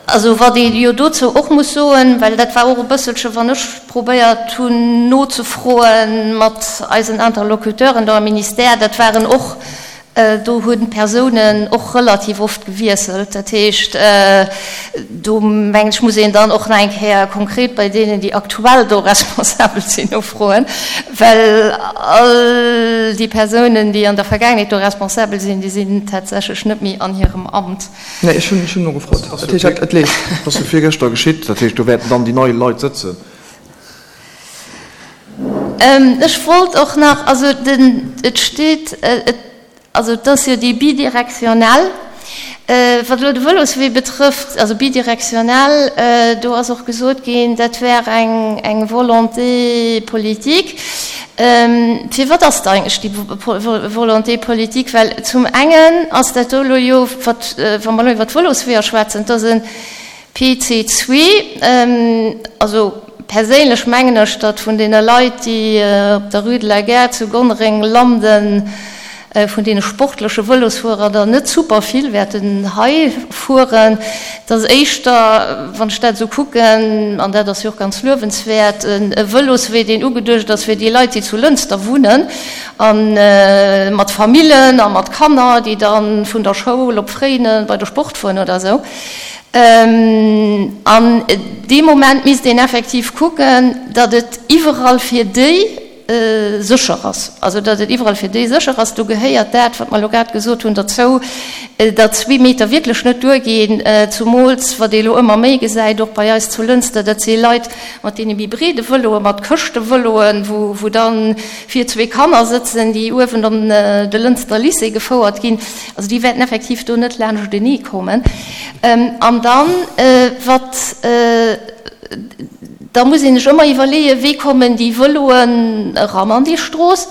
Also wat ee jo dozou och muss soen, well dat war och e bësselche wann ech probéiert hunn nozefroe mat eisen Interlocuteuren do am Ministère, dat waren och, do hunn d'Persounen och relativ oft gewiesselt. Dat heescht, do mengen ech muss een dann och nach eng Kéier konkret bei deenen, déi aktuell do responsabel sinn, nofroen, well all déi Persounen, déi an der Vergaangenheet do responsabel sinn, déi sinn tatsächlech net méi an hirem Amt. Nee, ech hunn nogefrot. Dat heescht, et leeft. Dat ass jo virgëschter geschitt. Dat heescht, do wäerten dann déi nei Leit sëtzen. Ech wollt och nach, also den, et steet, et, also et ass jo déi bidirektionell, wat elo de Vëloswee betrëfft, also bidirektionell, do ass och gesot ginn, dat wär eng, eng Volonté politique. Firwat ass et eigentlech déi Volonté politique? Well zum engen ass dat do elo jo, wat, wa mer elo iwwer d'Vëlosweeër schwätzen, et ass e PC2. Also perséinlech mengen ech, datt vun deene Leit, déi op der Rue de la Gare zu Gonnereng landen, vun deene sportleche Vëlosfuerer der net super vill wäerten hei fueren. Et ass éischter, wann ech dat esou kucken, an dat ass jo och ganz luewenswäert, e Vëloswee, deen ugeduecht ass fir déi Leit, déi zu Lënster wunnen a mat Famillen a mat Kanner, déi da vun der Schoul op Fréinen bei de Sport fueren oder esou. An dee Moment misst een effektiv kucken, datt et iwwerall fir déi, sécher ass, also datt et iwwerall fir déi sécher ass, do gehéiert dat, wat mer elo grad gesot hunn, derzou, datt zwee Meter wierklech net duerginn, zumools wat ee elo ëmmer méi gesäit, och bei eis zu Lënster, dat si Leit mat deene méi breede Vëloen, mat Këschtevëloen, wou wou da vir zwee Kanner sëtzen, déi uewen an de Lënster Lycée gefouert ginn. Also déi wäerten effektiv do net laanschtenee kommen. An dann, wat. Da muss een sech ëmmer iwwerleeën, wéi kommen déi Vëloen eran an déi Strooss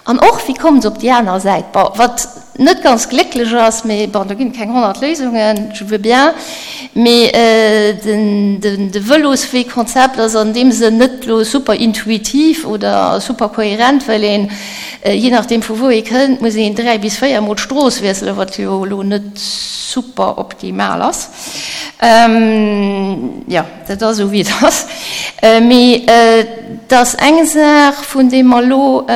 an och, wéi kommen se op déi aner Säit. Bon, wat. net ganz glécklech ass, mee bon, do ginn et keng 100 Léisungen, je veux bien, mee de Vëloswee-Konzept ass an deem Sënn net elo super intuitiv oder super kohärent, well een, jee nachdeem vu wou ee kënnt, muss een 3 bis 4 mol d'Strooss wiesselen, wat jo elo net super optimal ass. Jo, dat ass esou wéi et ass. Mee et ass eng Saach, vun deem mer elo,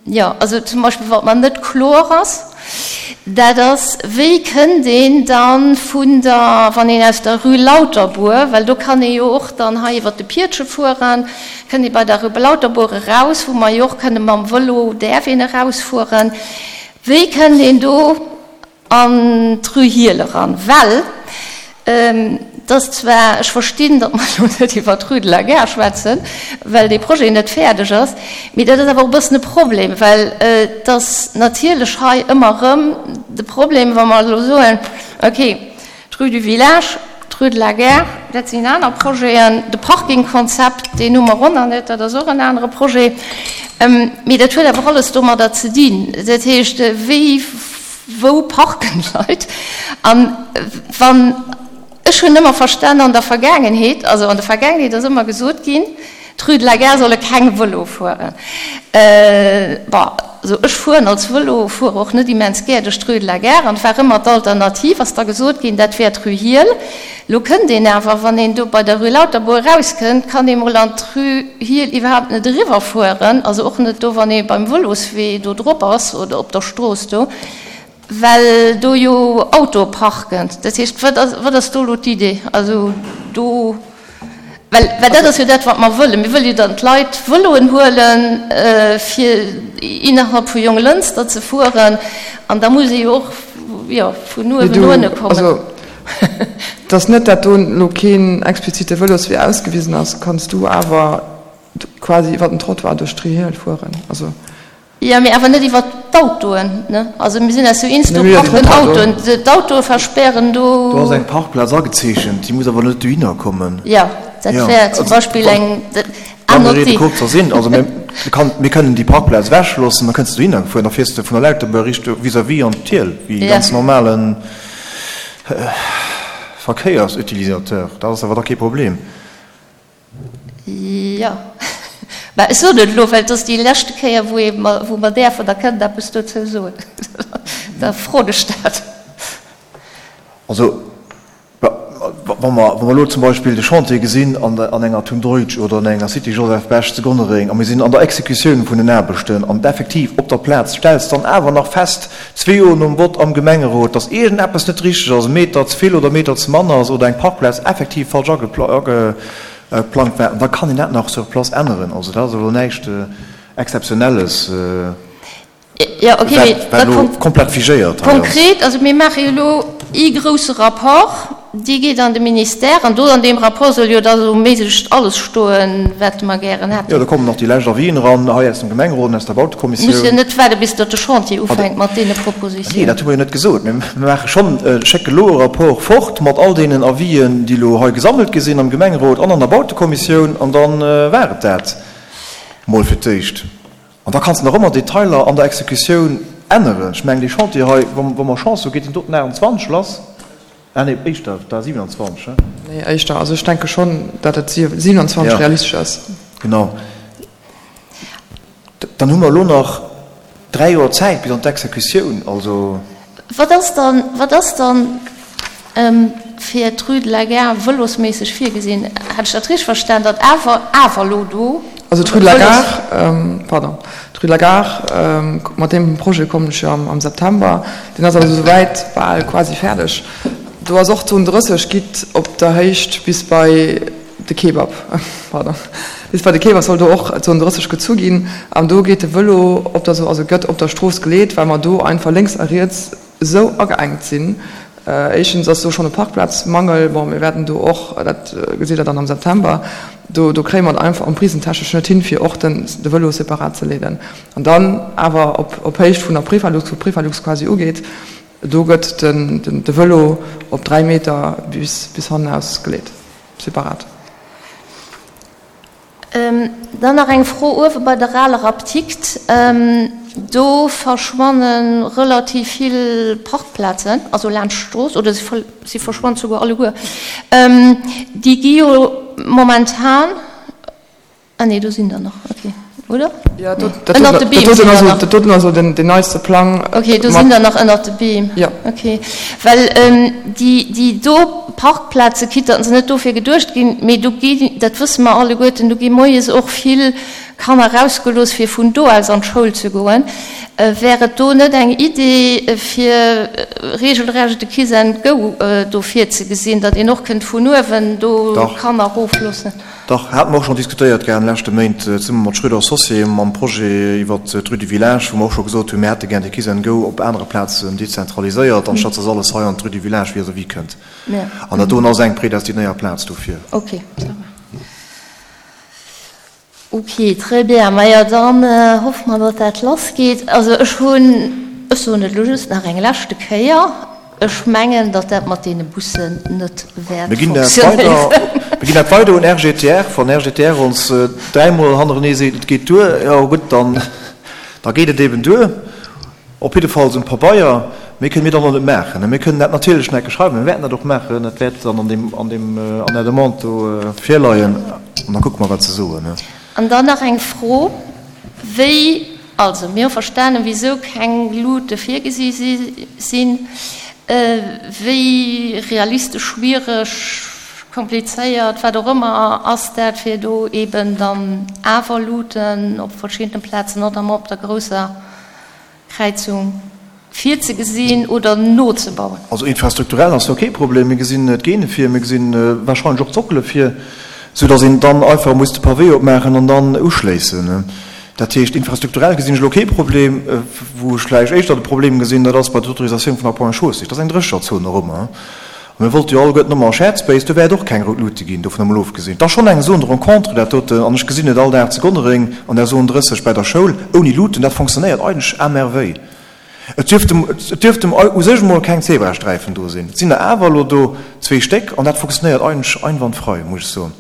Jo, also zum Beispill wat mer net kloer ass, dat ass, wéi kënnt een da vun der, wann een aus der Rue Lauterbour, well do kann ee jo och dann hei iwwert de Piedche fueren, kënnt ee bei der Rue Lauterbour eraus, wou mer jo och kënne mam Vëlo, däerf een erausfueren, wéi kënnt een do an d'Rue Hiehl eran, well et ass zwar, ech verstinn, datt mer elo net iwwer d'Rue de la Gare schwätzen, well dee Projet net fäerdeg ass, mee dat ass awer och e bëssen e Problem, well et ass natierlech hei ëmmer erëm de Problem, wa mer elo soen, okay, d'Rue du Village, d'Rue de la Gare, dat sinn aner Projeten, de Parkingkonzept, deen hu mer och nach net, dat ass och en anere Projet, mee dat huet awer alles domadder ze dinn, dat heescht, wéi Wou parken d'Leit? An wann, ech hunn ëmmer verstan an der Vergaangenheet, also an der Vergaangenheet ass ëmmer gesot ginn, d'Rue de la Gare solle keng Vëlo fueren. Bon, also ech fueren als Vëlofuerer och net immens gär duerch d'Rue de la Gare an et war ëmmer d'Alternativ, ass da gesot ginn, dat wär d'Rue Hiehl. Lo kënnt een awer, wann een do bei der Rue Lauterbourg erauskënnt, kann ee mol an d'Rue Hiehl iwwerhaapt net eriwwerfueren, also och net do, wann ee beim Vëloswee do drop ass oder op der Strooss do, well do jo Autoe parken. Dat heescht, wat ass, wat ass do elo d'Idee? Also do, well, well dat ass jo dat, wat mer wëllen. Mir wëlle jo, datt d'Leit Vëloen huelen, fir innerhalb vu Jonglënster ze fueren, an da muss ee jo och, jo, vun uewen no ënne kommen. Dass net dat do elo keen explizite Vëloswee ausgewisen ass, kanns du awer quasi iwwer den Trottoir duerch d'Rue fueren. Also. Jo, mee awer net iwwer d'Autoen, ne? Also mir sinn eis jo eens, do parken Autoen, d'Autoe verspären do. Do ass eng Parkplaz agezeechent, déi muss awer net dohinner kommen. Jo, dat wär zum Beispill eng, à noter. Lange Rede, kurzer Sinn, also mir kënnen déi Parkplaz ewechloossen, da kënns de dohinner gefuer, da fiers de vun der Lauterbuer Richtung vis-à-vis an d'Hiel, wéi e ganz normalen Verkéiersutilisateur, dat ass awer da kee Problem. Jo, mä ech soen et elo, well et ass déi leschte Kéier, wou ee mer, wou mer däerfen a kënnen eppes dozou soen. Da froen ech dat. Also, wa mer, wa mer elo zum Beispill de Chantier gesinn an der, an enger Thun Deutsch oder an enger Cité Joseph Bech zu Gonnereng a mir sinn an der Exekutioun vun den Aarbechten an effektiv op der Plaz stells dann awer nach fest, zwee Joer nom Vott am Gemengerot, dass iergendeppes net richteg ass, e Meter ze vill oder e Meter ze mann ass oder eng Parkplaz effektiv falsch ageplangt war, da kann een dat nach sur place änneren. Also dat ass elo näischt Exzeptionelles, wat elo komplett figéiert hei ass. Konkret, also mir maache jo elo ee grouse Rapport, dee geet an de Ministère an do an deem Rapport soll jo da sou méiglechst alles stoen, wat mer gären hätten. Jo, do kommen nach déi lescht Avisen eran, hei aus dem Gemengerot an aus der Bautekommissioun. Muss jo net waarde bis datt de Chantier ufänkt mat deene Propositiounen. Nee, dat hu mer jo net gesot. Mir maache schonn, schécke elo e Rapport fort mat all deenen Avisen, déi elo hei gesammelt gi sinn am Gemengerot an an der Bautekommissioun an da war et dat mol fir d'éischt. An da kanns de nach ëmmer Detailer an der Exekutioun änneren. Ech mengen, dee Chantier hei, wa mer Chance hu, geet deen doten 28 lass. Ah nee, éischter, da 27, he? Nee, éischter. Also ech denke schonn, datt et 27 realistesch ass. Genau. Dann hu mer elo nach dräi Joer Zäit bis an d'Exekutioun. Also. Wat ass dann, wat ass dann fir d'Rue de la Gare vëlosméisseg virgesinn? Hat ech dat richteg verstan, datt awer, awer elo do. Also d'Rue de la Gare, pardon, d'Rue de la Gare, mat deem Projet kommen ech jo am September, deen ass also souwäit bal quasi fäerdeg. Do ass och d'Zon 30 gitt op der Héicht bis bei de Kebab, pardon, bis bei de Kebab soll do och d'Zon 30 gezu ginn an do geet de Vëlo op der, also gëtt op der Strooss geleet, well mer do einfach lénks a riets esou ageengt sinn. Éischtens ass do schonn e Parkplazmangel. Bon, mir wäerten do och, dat gesitt Der dann am September, do, do kréie mer et einfach emprisentechnesch net hin, fir och den, de Vëlo separat ze leeden. An dann awer op, op Héicht vun der Prefalux, wou d'Prefalux quasi ugeet, do gëtt den, den, de Vëlo op 3 Meter bis, bis hannenaus geleet, separat. Dann nach eng Fro uewe bei der aler Apdikt. Do verschwanne relativ vill Parkplazen, also laanscht d'Strooss, oder si verschwannen souguer alleguer. Déi gi jo momentan, ah nee, do sinn der nach, okay, oder? Jo, dat doten ass dat doten ass elo den neiste Plang. Okay, do sinn der nach ënnert de Beem. Jo. Okay, well déi, déi do Parkplaze, quitte datt se net dofir geduecht ginn, mee do gi, dat wësse mer alleguerten, do gi moies och vill Kanner erausgelooss, fir vun do aus an d'Schoul ze goen. Wär et do net eng Idee, fir regelrecht e Kiss and Go do virzegesinn, datt een och kënnt vun uewen do Kanner erofloossen? Dach, hate mer och schonn diskutéiert gehat an de leschte Méint, zesumme mat Schröder Associés, mam Projet iwwert d'Rue du Village, wou mer och scho gesot hunn, mir hätte gär de Kiss and Go op anere Plazen dezentraliséiert, anstatt dass alles hei an d'Rue du Village vis-à-vis kënnt. An dat doen ass eng prédestinéiert Plaz dofir. Ok, ça va. Ok, très bien. Majo, dann hoffe mer, datt dat lassgeet. Also ech hunn, ech soen et elo just nach eng leschte Kéier, ech mengen, datt dat mat deene Bussen net wäert Mir ginn dat weider, funktionéieren. mir ginn dat weider un RGTR. Wann RGTR ons dräimol hannerenee seet, et geet duer, jo gutt, dann, da geet et eben duer. Op jiddefalls um Pabeier. Méi kënne mir dann och net maachen. Mir kënnen dat natierlech nach eng Kéier schreiwen, mir wäerten dat och maachen. Dat wäert dann an deem, an deem, an der Demande do virleien an da kucke mer, wat se soen. An dann nach eng Fro, Wéi, also mir hu verstanen, wisou keng Luute virgesi sinn. Wéi realistesch, schwiereg, komplizéiert, wat och ëmmer, ass dat, fir do eeben dann awer Luuten op verschiddene Plazen, notamment op der grousser Kräizung virzegesinn oder nozebauen? Also infrastrukturell ass do kee Problem. Mir gesinn d'Geene vir, mir gesinn wahrscheinlech och d'Sockele vir, soudass een dann einfach muss de Pavé opmaachen an dann uschléissen. Dat heescht, infrastrukturell gesinn ech elo kee Problem. Wou ech vläicht éischter de Problem gesinn, dat ass bei der Autorisatioun vun der Ponts et Chaussées. Dat ass eng Drécherzon och ëmmer. A mir wollte jo alleguerten ëmmer Shared Space, do wäert och keng rout Luute ginn, dovun emol ofgesinn. Et ass schonn eng Zone de rencontre, dat doten, an ech gesinn et all Dag zu Gonnereng an der Zone 30 bäi der Schoul, ouni Luuten, dat fonctionnéiert eigentlech à merveille. Et dierft et dierft u sech emol keng Zebrasträifen do sinn, et sinn der awer elo do zwee Stéck an dat fonctionnéiert eigentlech einwandfrei, muss ech soen.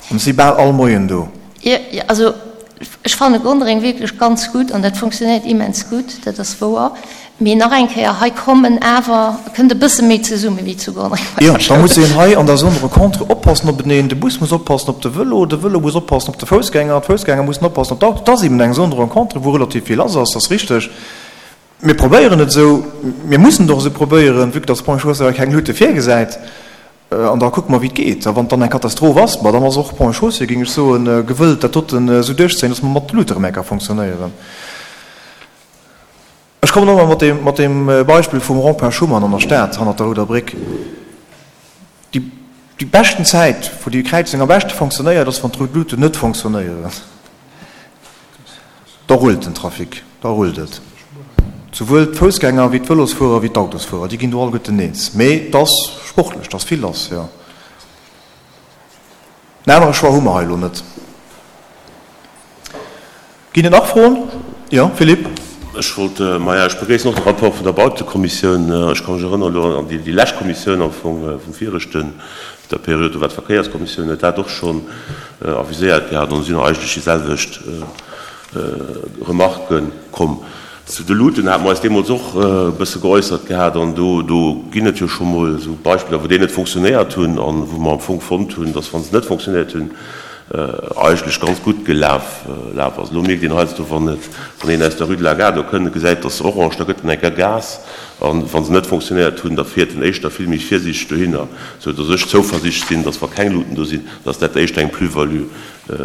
An si bal all Moien do. Jo, also ech fanne Gondreng wierklech ganz gutt an dat funktionéiert immens gutt, dat ass wouer. Mee nach eng Kéier, hei kommen awer, kënnt e bësse méi zesumme wéi zu Gondreng bei der Schoul. Jo, da muss een hei an der Zone de rencontre oppassen openeen, de Bus muss oppassen op de Vëlo, de Vëlo muss oppassen op de Foussgänger, d'Foussgänger mussen oppassen op d'Auto. Et ass eben eng Zone de rencontre, wou relativ vill lass ass, dat ass richteg. Mir probéieren et esou, mir mussen et och esou probéieren, vue que dass d'Ponts et Chaussées hei keng Luute virgesäit. An da kucke mer, wéi et geet. A wann et dann eng Katastroph ass, ma dann ass och Ponts et Chaussées, géing ech soen, gewëllt, dat doten esou duerchzéien, dass mer mat Luuteremärker fonctionnéieren. Ech kommen nochmol mat deem, mat deem Beispill vum Rond-point Schuman an der Stad, hannert der Rouder Bréck. Déi, déi beschten Zäit, wou déi Kräizung am beschte fonctionnéiert, ass, wann d'rout Luuten net fonctionnéieren. Da rullt den Trafic, da rullt et. Souwuel d'Foussgänger wéi d'Vëlosfuerer wéi d'Autosfuerer, déi ginn do alleguerten eens. Mee et ass sportlech, et ass vill lass, jo. En anere Choix hu mer hei elo net. Ginn et nach Froen? Jo, Philippe. Ech wollt, maja, ech begréissen och de Rapport vun der Bautekommissioun. Ech ka mech erënneren elo an déi lescht Kommissioun am Fong vum viregten, der Period, do war d'Verkéierskommissioun, huet dat och schonn aviséiert gehat an do sinn eigentlech déi selwecht Remarquë komm. Zu de Luuten hate mer eis deemools och e bësse geäussert gehat an do, do ginn et jo scho mol esou Beispiller, wou déi net funktionéiert hunn an wou mer am Fong fonnt hunn, dass, wa se net funktionéiert hunn, eigentlech ganz gutt gelaf laf ass. Elo mierkt een heiansdo, wann et, wann een aus der Rue de la Gare do kënnt, gesäit, dass orange, da gëtt en enker Gas an wa se net funktionéiert hunn, da fiert en éischter vill méi virsiichteg dohinner, sou dass ech zouversiichtlech sinn, dass wa keng Luuten do sinn, dass dat éischter eng Plus-value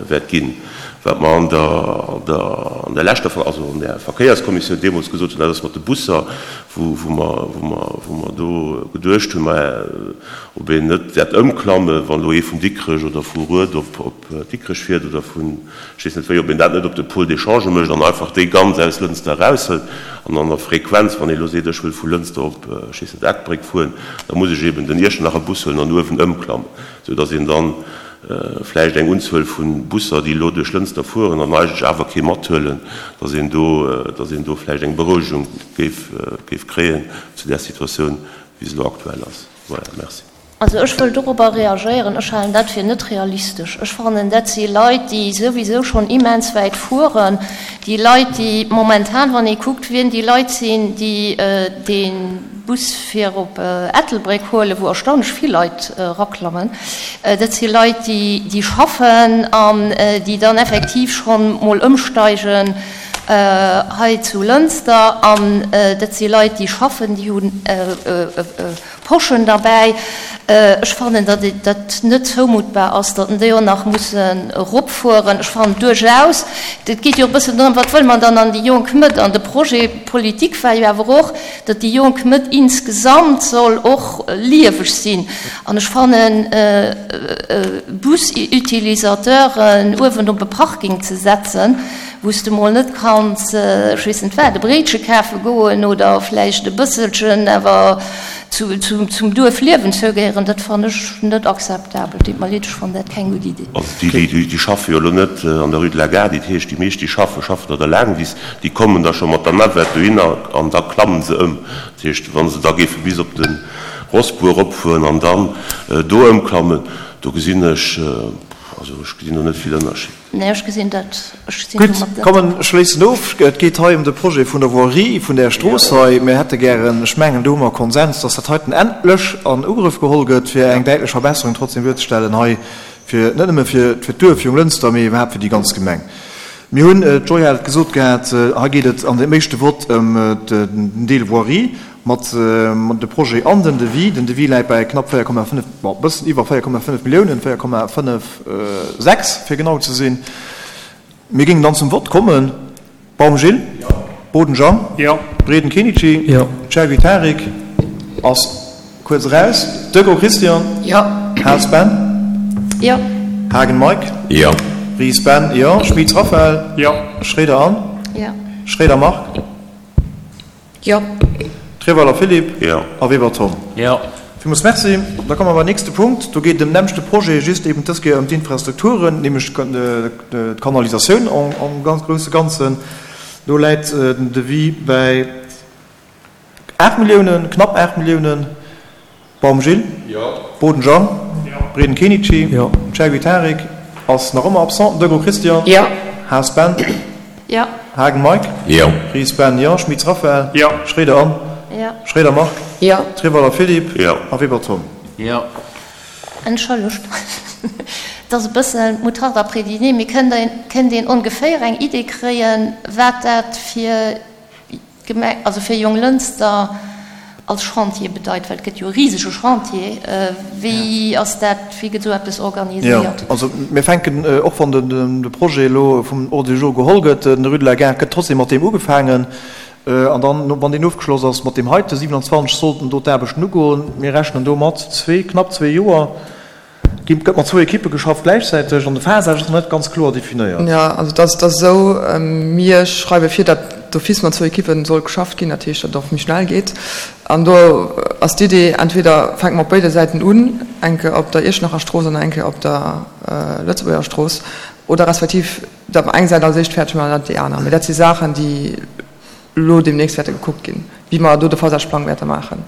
wäert ginn. Wat mer an der, an der leschter, also an der Verkéierskommissioun deemools gesot hunn, dat ass mat de Busser, wou, wou mer, wou mer, wou mer do geduecht hunn, maja, ob een net wäert ëmklammen, wann elo ee vun Dikrech oder vu Rued op, op Dikrech fiert oder vun, ech weess net wéi, ob een dat net op de Pôle d'échange mécht an einfach déi ganz aus Lënster eraushëlt an an der Frequenz, wann ee elo seet, ech wëll vu Lënster op, ech weess net, Ettelbréck fueren, da muss ech eben den Iechternacher Bus huelen an uewen ëmklammen, sou datt een dann vläicht eng Unzuel vu Busser, déi elo duerch Lënster fueren an eigentlech awer kee mathuelen, datt een do, datt een do vläicht eng Berouegung géif, géif kréien zu där Situatioun, wéi se elo aktuell ass. Voilà, merci. Also ech wëll dorobber reagéieren, Ech halen dat fir net realistesch. Ech fannen, dat si Leit, déi souwisou schonn immens wäit fueren, déi Leit, déi momentan, wann ee kuckt, wien déi Leit sinn, déi dee Bus fir op Ettelbréck huelen, wou erstaunlech vill Leit eraklammen, dat si Leit, déi schaffen an déi dann effektiv schonn mol ëmsteigen hei zu Lënster. An dat si Leit, déi schaffen, déi hunn Poschen derbäi. Ech fannen, datt et dat net zoumuttbar ass, datt en déi och nach mussen eropfueren. Ech fannen duerchaus, et geet jo e bëssen drëm, wat wëlle mer dann an déi jonk Mëtt? An de Projet politique war jo awer och, datt déi jonk Mëtt insgesamt soll och lieweg sinn. An ech fannen, Busutilisateuren uewen op e Parking ze setzen, wou s de mol net kanns, ech weess net wat, e Bréitche kafe goen oder vläicht e bësselchen awer zum Duerfliewen zougehéieren, dat fannen ech net akzeptabel. Deet mer leed, ech fannen dat keng gutt Idee. Also déi, déi schaffe jo elo net an der Rue de la Gare, dat heescht, déi meescht, déi schaffen, schaffen an der Laangwiss, déi kommen da scho mat der Navette dohinner an da klammen se ëm. Dat heescht, wa se da géife bis op de Rossbuer eropfueren an dann do ëmklammen, do gesinn ech, also ech gesinn do net vill Ënnerscheed. Nee, ech gesinn dat. Ech sinn Gutt, domat net kommen, ech schléissen of. Et geet hei ëm de Projet vun der Voirie vun där Strooss hei. Mir hätte gären, ech mengen, do hu mer Konsens, dass dat heiten endlech an Ugrëff geholl gëtt, fir eng däitlech Verbesserung trotzdem duerzestellen hei, fir net nëmme fir d'Duerf Jonglënster, mee iwwerhaapt fir déi ganz Gemeng. Mir hunn, d'Joy hat et gesot gehat, hei geet et an deem éischte Vott ëm den Deel Voirie mat de Projet an den Devis. Den Devis läit bei knapp 4,5, bon, e bëssen iwwer 4,5 Milliounen, 4,56 fir genau ze sinn. Mir géingen dann zum Vott kommen. Baum Gilles? Boden Jean? Breden Kenichi? Chergui Tarik ass kuerz eraus. Deco Christian? Haas Ben? Haagen Mike? Ries Ben? Jo. Schmitz Raphaël? Schroeder Anne? Schroeder Marc? Jo. Treweiler Philippe. Jo. A Weber Tom. Jo. Villmools Merci. Da komme mer beim nächste Punkt. Do geet et ëm den nämmlechte Projet, just eben dës Kéier ëm d'Infrastrukturen, nämlech d'Kanalisatioun am ganz grousse Ganzen. Do läit den Devis bäi 8 Milliounen, knapp 8 Milliounen. Baum Gilles? Jo. Boden Jean? Jo. Breden Kenichi? Jo. Chergui Tarik ass nach ëmmer absent. Degraux Christian? Jo. Haas Ben? Jo. Haagen Mike? Jo. Ries Ben? Jo. Schmitz Raphaël? Jo. Schroeder Anne? Jo. Schroeder Marc? Jo. Treweiler Philippe? Jo. A Weber Tom? Jo. Entschëllegt, et ass e bëssen moutarde après dîner, mee kënnt kënnt een ongeféier eng Idee kréien, wat dat fir D'Gemeng, also fir Jonglënster als Chantier bedeit, well et gëtt jo e risege Chantier, wéi ass dat, wéi gëtt esou eppes organiséiert? Jo, also mir fänken, och wann de Projet elo vum Ordre du jour geholl gëtt, den Rue de la Gare, gëtt trotzdem mat deem ugefaangen. An dann, wann deen ofgeschloss ass, mat deem heite 27 sollten do d'Aarbechten ugoen. Mir rechnen do mat zwee, knapp zwee Joer. Ginn, gëtt mat zwou Ekippe geschafft gläichzäiteg an de Phasage ass nach net ganz kloer definéiert. Jo, also et ass, et ass esou, mir schreiwe vir, datt d'office mat zwou Ekippe soll geschafft ginn, dat heescht, datt et och méi schnell geet. An do ass d'Idee, entweder fänke mer op béide Säiten un, eng Kéier op der Iechternacher Strooss an eng Kéier op der Lëtzebuerger Strooss, oder respektiv datt mer eng Säit als éischt fäerdeg maachen an dann déi aner. Mee dat si Saachen, déi elo deemnächst wäerte gekuckt ginn, wéi mer do de Phasageplang wäerte maachen.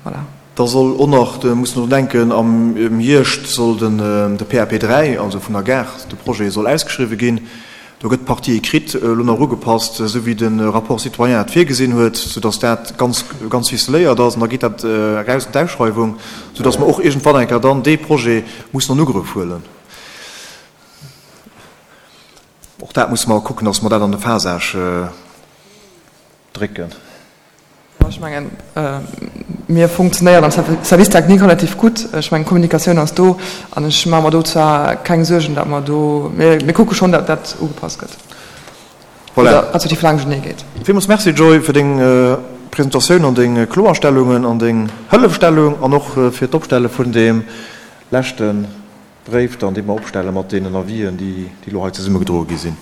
Voilà. Da soll och nach, do muss een drun denken, am Hierscht soll den de PAP 3, also vun der Gare, de Projet soll ausgeschriwwen ginn. Do gëtt d'Partie écrite elo nach ugepasst, esou wéi de Rapport citoyen et virgesinn huet, soudass dat ganz, ganz ficeléiert ass. An da geet dat eraus an d'Ausschreiwung, soudass mer och iergendwann eng Kéier dann dee Projet mussen an Ugrëff huelen. Och dat musse mer kucken, dass mer dat an de Phasage drécken. Ech mengen, mir funktionéieren am Service technique relativ gutt. Ech mengen, d'Kommunikatioun ass do an ech maache mer do zwar keng Suergen, datt mer do, mir kucke schonn, datt dat ugepasst gëtt oder respektiv laangschenee geet. Villmools Merci, Joy, fir deng Presentatioun an deng Kloerstellungen an deng Hëllefstellung an och fir d'Opstelle vun deem leschte Bréif dann, dee mer opstelle mat deenen Avisen, déi elo hei zesummegedroe gi sinn.